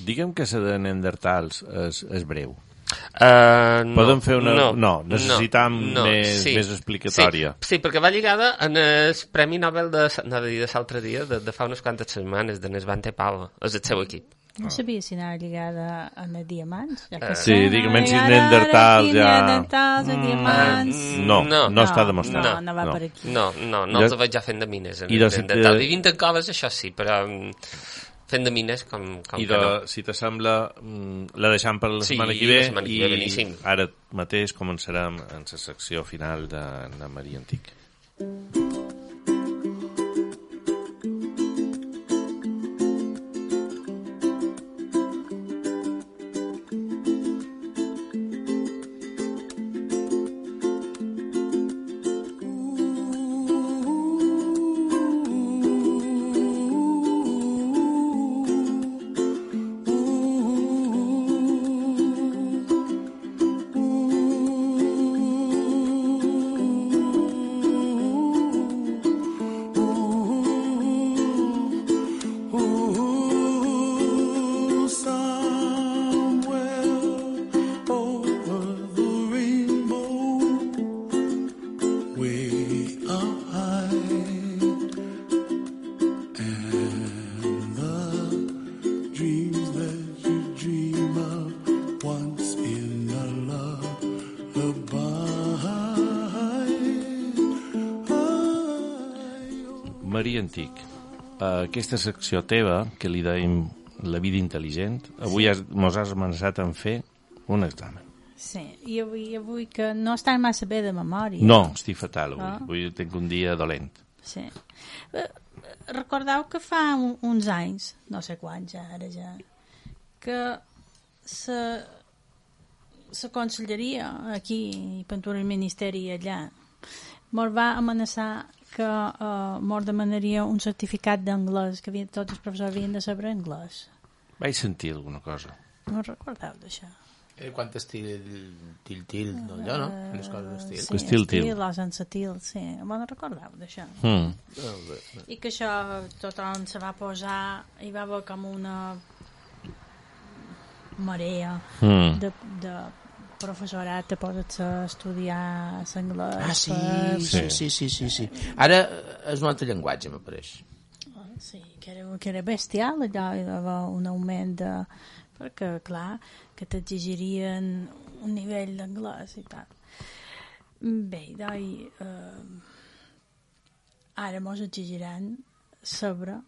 diguem que la de Neandertals és breu. No, podem fer una... No, necessitam més explicatòria. Sí, perquè va lligada en el Premi Nobel de l'altre dia, de fa unes quantes setmanes, de Svante Pavo, és el seu equip. No sabia si anava lligada amb els diamants. Sí, diguem si Neandertals ja... diamants... No està demostrat. No va per aquí. No els veig ja fent de mines. Vivint en coves, això sí, però... fent de mines com i que no. Si t'assembla, la deixam per la setmana que ve i ara mateix començarem en la secció final de Maria Antic. antic. Aquesta secció teva, que li deim la vida intel·ligent, avui mos has amenaçat en fer un examen. Sí, i avui que no estan massa bé de memòria. No, estic fatal avui. Avui tinc un dia dolent. Sí. Recordeu que fa uns anys, no sé quants ara ja, que la conselleria aquí i Pintura del Ministeri allà mos va amenaçar que mos demanaria un certificat d'anglès, que tots els professors havien de saber anglès. Vaig sentir alguna cosa. No recordeu d'això? Quant estil til, allò, no? Les coses d'estil. Sí, estil, l'osensatil, sí. Me'n recordeu d'això? I que això tothom se va posar, hi va haver com una marea de professorat de posar-se a estudiar l'anglès. Sí. Ara és un altre llenguatge, m'apareix. Sí, que era bestial, allò hi va haver un augment de... perquè, clar, que t'exigirien un nivell d'anglès i tal. Bé, doncs, ara mos exigiran saber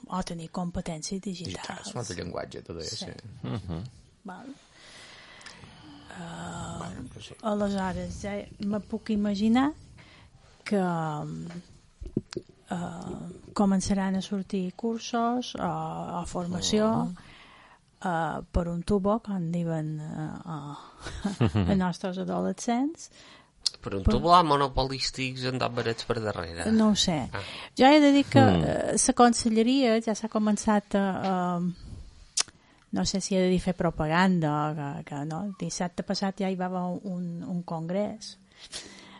o tenir competències digitals. És un altre llenguatge, tot això. Sí. Val. Aleshores, ja me puc imaginar que començaran a sortir cursos o formació per un tubo, com diuen els nostres adolescents. Per un tubo monopolístics andat barats per darrere. No ho sé. Jo he de dir que la conselleria ja s'ha començat a no sé si he de dir fer propaganda que no, el dissabte passat ja hi va haver un congrés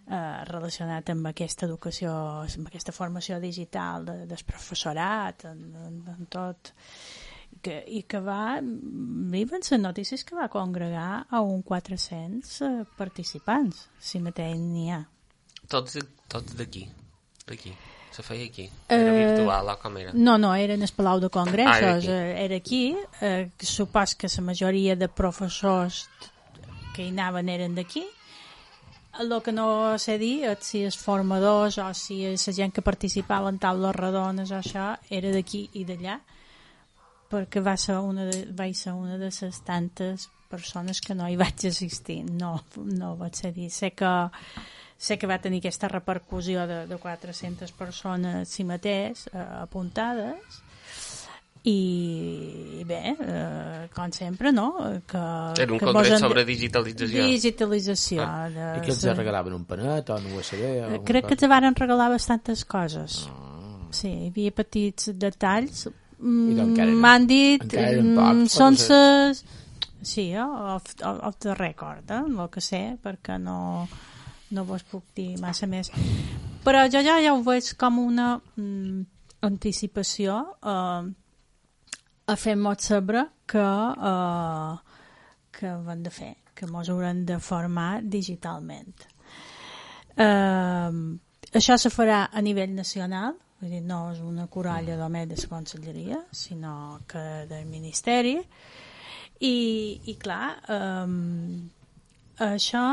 relacionat amb aquesta educació, amb aquesta formació digital del professorat, en tot, i que viven les notícies que va congregar a un 400 participants, si mateix n'hi ha. Tots d'aquí. Se feia aquí. Era virtual, o com era? No, era en el Palau de Congressos. Era aquí. Supos que la majoria de professors que hi anaven eren d'aquí. El que no sé dir és si els formadors o si la gent que participava en taules rodones o això era d'aquí i d'allà, perquè vaig ser una de les tantes persones que no hi vaig assistir. No vaig ser dir. Sé que va tenir aquesta repercussió de 400 persones si mateix apuntades i bé, com sempre, no? Era un congrés sobre digitalització. Digitalització. I que els regalaven un panet o un USB? Crec que els van regalar bastantes coses. Sí, hi havia petits detalls. M'han dit són ses... Sí, off the record, el que sé, perquè no vos puc dir massa més, però jo ja ho veig com una anticipació a fer-nos saber que ho hem de fer, que ens haurem de formar digitalment. Això se farà a nivell nacional, vull dir, no és una coralla només de la conselleria, sinó que del Ministeri, i clar, això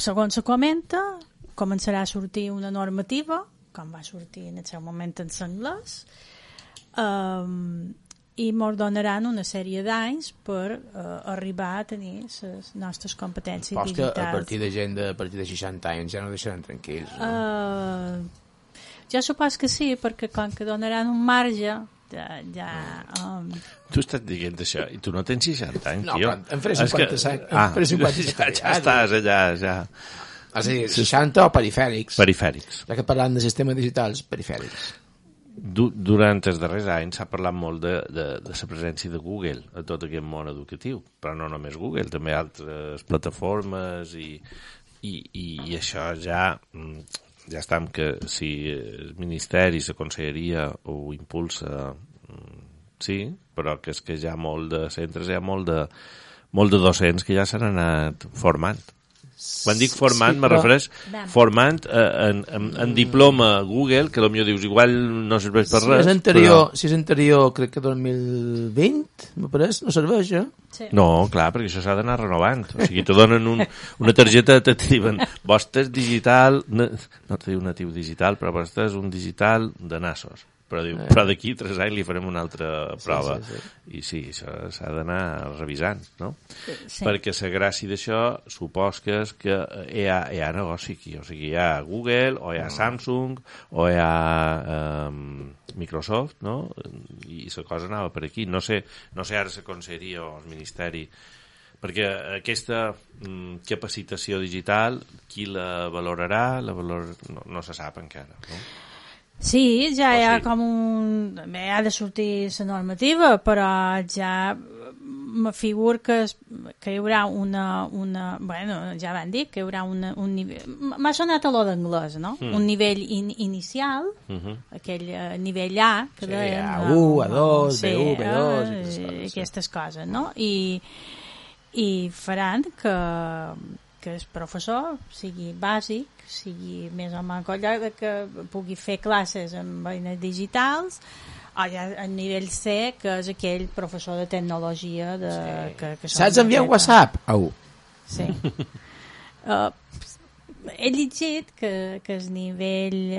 segons se comenta, començarà a sortir una normativa, com va sortir en el seu moment en l'anglès, i ens donaran una sèrie d'anys per arribar a tenir les nostres competències digitals. Que a partir de gent a partir de 60 anys ja no deixaran tranquils, no? Jo supos que sí, perquè com que donaran un marge Tu estàs dient això i tu no tens 60 anys, tio. No, em faré 57. Ja estàs allà, ja. És a dir, 60 o perifèrics. Ja que parlant de sistemes digitals, perifèrics. Durant els darrers anys s'ha parlat molt de la presència de Google a tot aquest món educatiu, però no només Google, també altres plataformes i això ja està amb que si el Ministeri, la Conselleria ho impulsa, sí, però que és que hi ha molt de centres, hi ha molt de docents que ja s'han anat formant. Quan dic formant, me refereix formant en diploma Google, que potser dius, igual no serveix per res. Si és anterior, crec que 2020, me pareix, no serveix, Sí. No, clar, perquè això s'ha d'anar renovant. O sigui, te donen una targeta, te diuen, vostre és digital, no te diu natiu digital, però vostre és un digital de nassos. Però d'aquí 3 anys li farem una altra prova. Sí. I sí, això s'ha d'anar revisant, no? Sí. Perquè la gràcia d'això supos que és que hi ha negoci aquí. O sigui, hi ha Google, o hi ha Samsung, o hi ha Microsoft, no? I la cosa anava per aquí. No sé ara la Conselleria o el Ministeri, perquè aquesta capacitació digital, qui la valorarà, no se sap encara, no? Sí, ja hi ha com Bé, ha de sortir la normativa, però ja me figuro que hi haurà bueno, ja van dir que hi haurà un nivell... M'ha sonat a lo d'anglès, no? Un nivell inicial, aquell nivell A, que deien... A1, A2, B1, B2... Aquestes coses, no? I faran que el professor sigui bàsic, sigui més o menys colla, que pugui fer classes amb eines digitals, o ja a nivell C, que és aquell professor de tecnologia que saps enviar un WhatsApp? Sí. He llegit que el nivell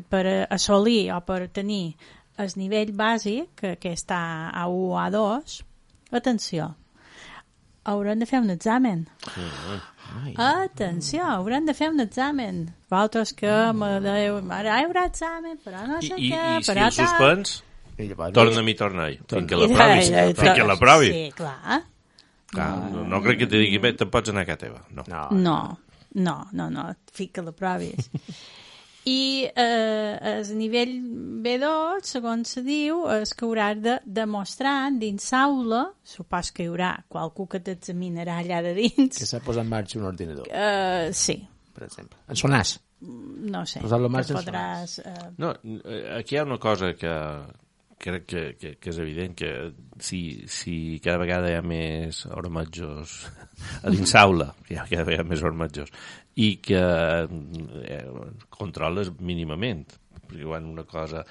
per assolir o per tenir el nivell bàsic, que està a 1 a 2, atenció, hauran de fer un examen. Atenció, hauran de fer un examen. Vosaltres que me deu... Ara hi haurà examen, però no sé què... I si el suspens, torna-hi. Fins que l'aprovis. Sí, clar. No crec que te digui, bé, te'n pots anar a casa teva. No, fins que l'aprovis. I el nivell B2, segons se diu, és que hauràs de demostrar dins l'aula, supos que hi haurà qualcú que t'examinarà allà de dins. Que s'ha posat en marxa un ordinador. Sí. Per exemple. En sonàs. No sé. Posar-lo en marxa podràs... No, aquí hi ha una cosa que crec que és evident, que si cada vegada hi ha més ormetjos a dins l'aula, cada vegada més ormetjos, i que controles mínimament, perquè quan una cosa...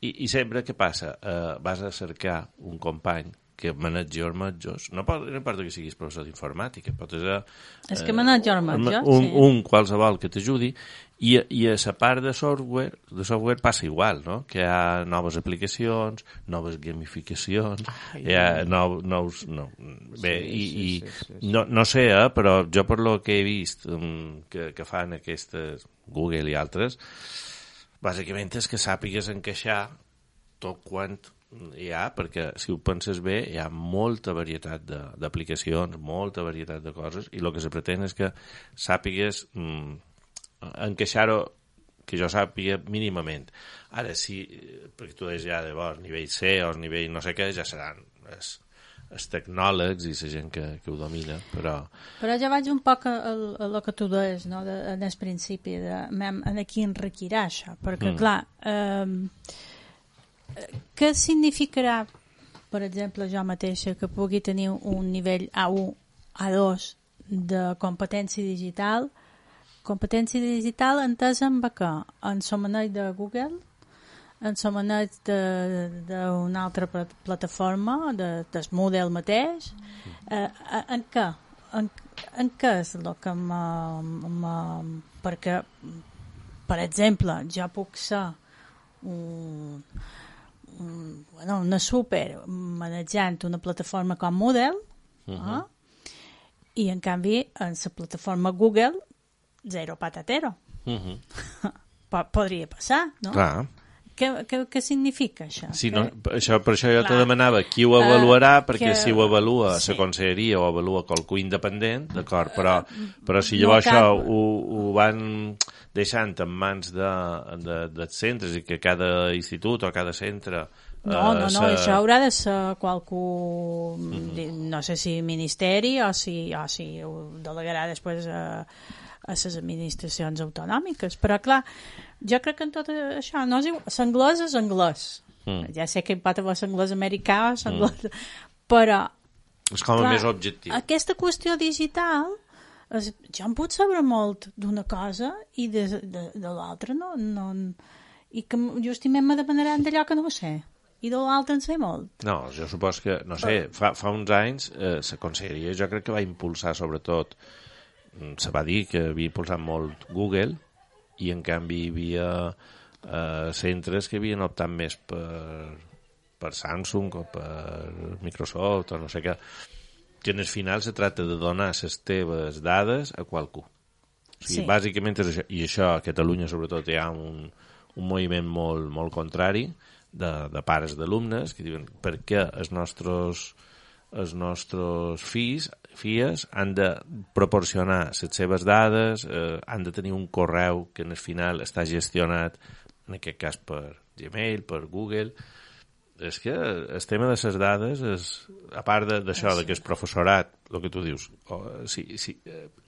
I sempre què passa? Vas a cercar un company que manegi ormetjos, no importa que siguis professor d'informàtica, pot ser... És que manegi ormetjos, un qualsevol que t'ajudi, i a la part de software passa igual, no? Que hi ha noves aplicacions, noves gamificacions, hi ha nous... Bé, no sé, però jo per lo que he vist que fan aquestes Google i altres, bàsicament és que sàpigues encaixar tot quant hi ha, perquè si ho penses bé hi ha molta varietat d'aplicacions, molta varietat de coses, i el que se pretén és que sàpigues encaixar-ho, que jo sàpiga mínimament. Ara sí, perquè tu deies ja llavors nivell C o nivell no sé què, ja seran els tecnòlegs i la gent que ho domina, però ja vaig un poc a el que tu deies, no? En el principi en aquí enriquirà això, perquè clar, què significarà, per exemple, jo mateixa, que pugui tenir un nivell A1, A2 de competència digital entesa amb què? En el maneig de Google, en el maneig d'una altra plataforma, del Moodle mateix, en què? En què és el que perquè, per exemple, jo puc ser una super manejant una plataforma com Moodle, i en canvi en la plataforma Google zero patatero. Podria passar, no? Clar. Què significa això? Sí, no, per això jo te demanava qui ho avaluarà, perquè si ho avalua la conselleria o avalua qualcú independent, d'acord, però si llavors això ho van deixant en mans dels centres i que cada institut o cada centre... No, això haurà de ser qualcú, no sé si ministeri o si ho delegarà després a les administracions autonòmiques, però clar, jo crec que en tot això no és igual. L'anglès és anglès, ja sé que hi pot haver l'anglès americà o l'anglès, però és com a més objectiu. Aquesta qüestió digital jo em puc saber molt d'una cosa i de l'altra no, i que justament me dependran d'allò que no sé i de l'altre en sé molt. No, jo supos que, no sé, fa uns anys la conselleria jo crec que va impulsar sobretot, se va dir que havia impulsat molt Google i en canvi hi havia centres que havien optat més per Samsung o per Microsoft o no sé què, que en el final se tracta de donar les teves dades a qualcú. O sigui, bàsicament és això, i això a Catalunya sobretot hi ha un moviment molt contrari de pares d'alumnes que diuen per què els nostres filles han de proporcionar les seves dades, han de tenir un correu que en el final està gestionat en aquest cas per Gmail, per Google. És que el tema de les dades és, a part d'això, que el professorat, el que tu dius,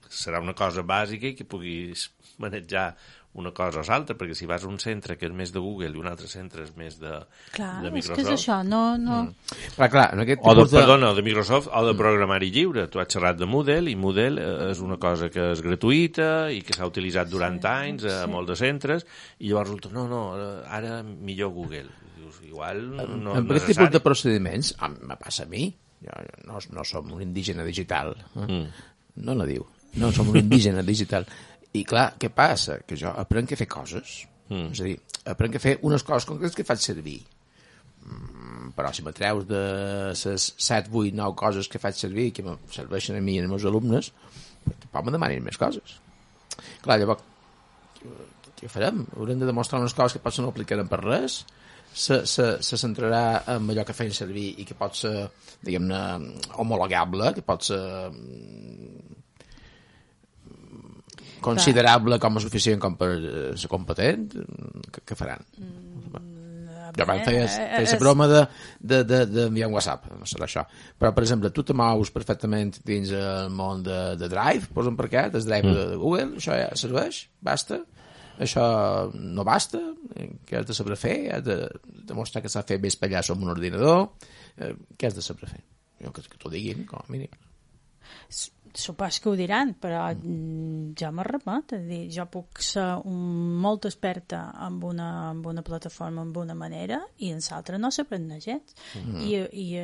serà una cosa bàsica i que puguis manejar una cosa o l'altra, perquè si vas a un centre que és més de Google i un altre centre és més de Microsoft... És que és això, no... Clar, en aquest perdona, de Microsoft o de programari lliure. Tu has xerrat de Moodle i Moodle és una cosa que és gratuïta i que s'ha utilitzat durant anys a molts de centres i llavors resulta, no, ara millor Google. Dius, igual no amb aquest tipus de procediments, me passa a mi, jo no som un indígena digital, no diu, no som un indígena digital. I clar, què passa? Que jo aprenc a fer coses. És a dir, aprenc a fer unes coses concretes que faig servir. Però si me treus de les 7, 8, 9 coses que faig servir que me serveixen a mi i als meus alumnes, tampoc me demanin més coses. Clar, llavors, què farem? Haurem de demostrar unes coses que potser no aplicarem per res, se centrarà en allò que feien servir i que pot ser, diguem-ne, homologable, que pot ser considerable com a suficient com per ser competent, què faran? Jo abans feia la broma d'enviar un WhatsApp, no serà això. Però, per exemple, tu te mous perfectament dins el món de Drive, posa'm per què, el Drive de Google, això ja serveix? Basta? Això no basta? Què has de saber fer? Has de demostrar que s'ha fet bé espatllar amb un ordinador? Què has de saber fer? Jo que t'ho diguin, com a mínim. Supos que ho diran, però jo me remet, jo puc ser molt experta en una plataforma, en una manera, i en l'altra no s'aprèn gens. I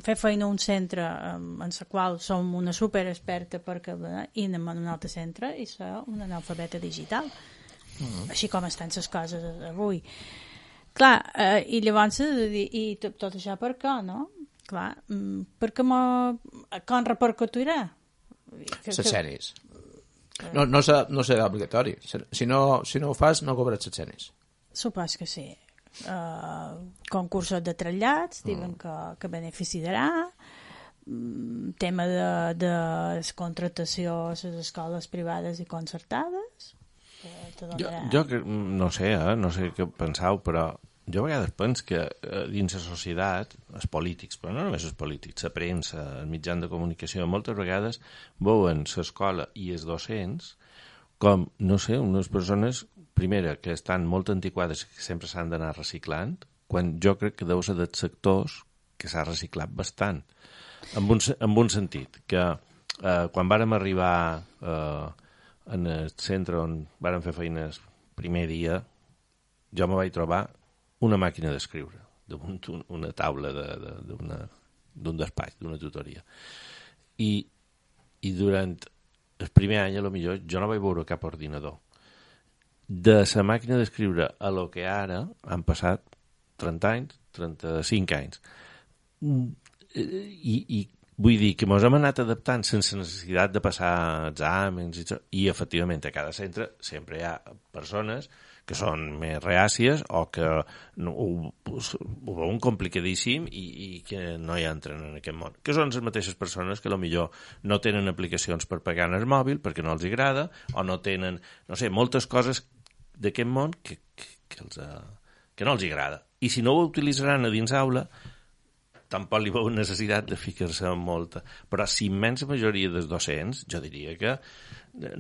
fer feina a un centre en la qual som una superexperta i anem a un altre centre i ser una analfabeta digital. Així com estan les coses avui. Clar, i llavors, i tot això per què, no? Clar, perquè com repercutirà? Les cenis. No serà obligatori. Si no ho fas, no cobres les cenis. Supos que sí. Concursos de trasllats, diuen que beneficiarà, tema de contractació a les escoles privades i concertades. Jo no sé què penseu, però jo a vegades penso que dins la societat, els polítics, però no només els polítics, la premsa, els mitjans de comunicació, moltes vegades veuen l'escola i els docents com, no sé, unes persones, primera, que estan molt antiquades i que sempre s'han d'anar reciclant, quan jo crec que deu ser dels sectors que s'ha reciclat bastant. En un sentit, que quan vàrem arribar en el centre on vàrem fer feines primer dia, jo me vaig trobar una màquina d'escriure damunt una taula d'un despatx, d'una tutoria. I durant el primer any, potser, jo no vaig veure cap ordinador. De la màquina d'escriure a lo que ara han passat 30 anys, 35 anys. I vull dir que ens hem anat adaptant sense necessitat de passar exàmens i efectivament a cada centre sempre hi ha persones que són més reàcies o que ho veuen complicadíssim i que no hi entren en aquest món. Que són les mateixes persones que potser no tenen aplicacions per pagar en el mòbil perquè no els agrada o no tenen, no sé, moltes coses d'aquest món que no els agrada. I si no ho utilitzaran a dins aula, tampoc li veu necessitat de ficar-se en molta. Però si immensa majoria dels docents, jo diria que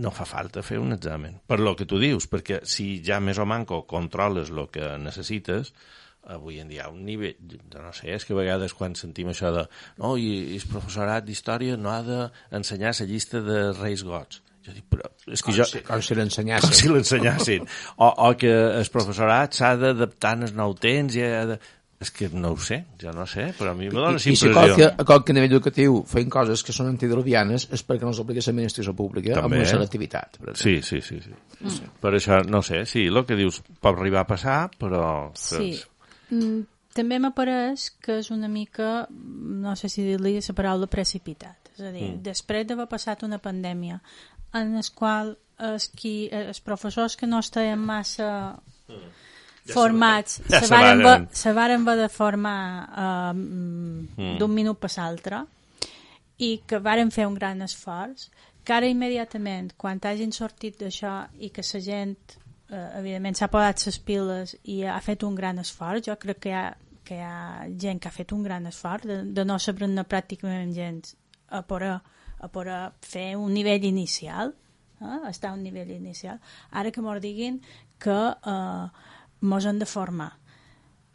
no fa falta fer un examen. Per lo que tu dius, perquè si ja més o manco controles el que necessites, avui en dia hi ha un nivell, no sé, és que a vegades quan sentim això de no, i el professorat d'història no ha d'ensenyar la llista de reis gots. Jo dic, però és que com si l'ensenyassin. Com si l'ensenyassin. O que el professorat s'ha d'adaptar als nou temps i ha de... És que no ho sé, jo no sé, però a mi me dóna impressió. I si a qualque nivell educatiu feien coses que són antidiluvianes és perquè no s'aplica l'administració pública amb una selectivitat. Sí. Per això, no sé, sí, el que dius pot arribar a passar, però... Sí, també m'apareix que és una mica, no sé si dir-li la paraula precipitat. És a dir, després d'haver passat una pandèmia en la qual els professors que no estaven massa... formats, se varen haver de formar d'un minut per l'altre i que varen fer un gran esforç, que ara immediatament, quan hagin sortit d'això i que la gent, evidentment, s'ha posat les piles i ha fet un gran esforç, jo crec que hi ha gent que ha fet un gran esforç de no saber-ne pràcticament gens a poder fer un nivell inicial, estar a un nivell inicial. Ara que m'ho diguin que mos han de formar.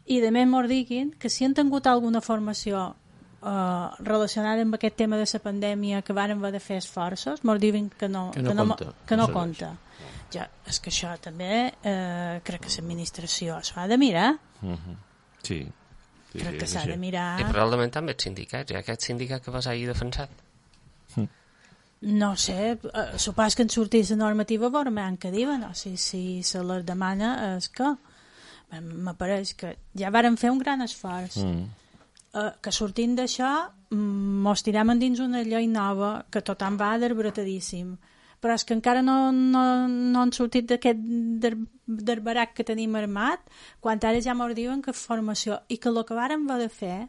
I de més mos diguin que si han tingut alguna formació relacionada amb aquest tema de la pandèmia que varen haver de fer esforços, mos diuen que no compta. Ja, és que això també crec que l'administració s'ho ha de mirar. Sí. Crec que s'ha de mirar. I probablement també els sindicats, hi ha aquest sindicat que vas ahir defensat. No sé, supos que en sortís la normativa veurem què diuen, o si se les demana és que m'apareix que ja varen fer un gran esforç, que sortint d'això mos tirem endins una llei nova que tothom va d'arbratadíssim, però és que encara no han sortit d'aquest barac que tenim armat, quan ara ja mos diuen que formació, i que el que vàrem haver de fer,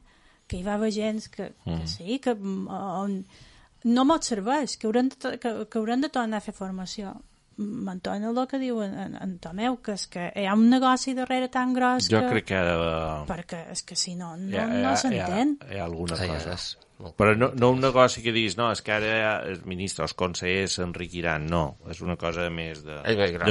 que hi va haver gent que sí, que no mos serveix, que haurem de tornar a fer formació. M'entona el que diu en Tomeu, que és que hi ha un negoci darrere tan gros jo crec que perquè és que si no s'entén. Hi ha alguna cosa. Però no un negoci que diguis, no, és que ara els ministres, els consellers s'enriquiran, no, és una cosa més de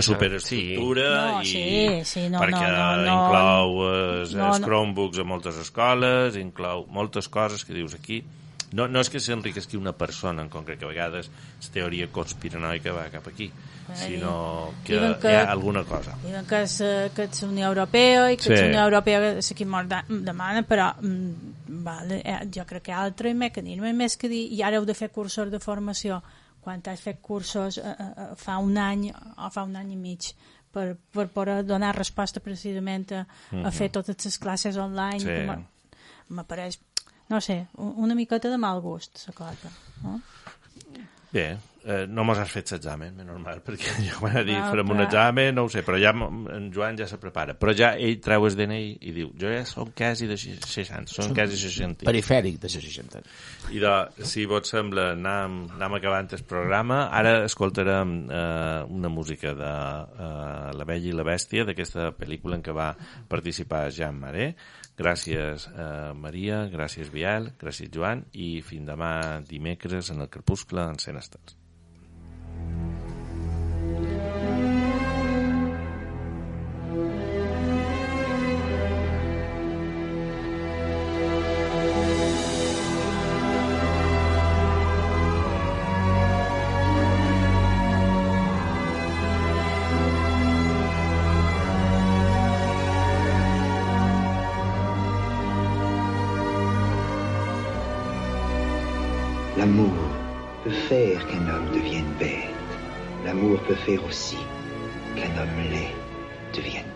superestructura perquè inclou els Chromebooks a moltes escoles, inclou moltes coses que dius aquí. No és que s'enriquesqui una persona en concret, que a vegades la teoria conspiranoica va cap aquí, sinó que hi ha alguna cosa. Diuen que és la Unió Europea i que la Unió Europea és qui mos demana, però jo crec que hi ha altre mecanisme més que dir, i ara heu de fer cursos de formació, quan has fet cursos fa un any o fa un any i mig per poder donar resposta precisament a fer totes les classes online, m'apareix, no sé, una miqueta de mal gust, la cosa. No? Bé, no mos has fet l'examen, és normal, perquè jo quan he dit farem un examen, no ho sé, però ja en Joan ja se prepara. Però ja ell treu el DNI i diu, jo ja som quasi de 60, som quasi 60. Perifèric de 60. I si vos sembla, anem acabant el programa. Ara escoltarem una música de La Bella i la Bèstia, d'aquesta pel·lícula en què va participar Jean Marais. Gràcies Maria, gràcies Biel, gràcies Joan, i fins demà dimecres en el Crepuscle en Cent Estels. L'amour peut faire qu'un homme devienne bête. L'amour peut faire aussi qu'un homme laid devienne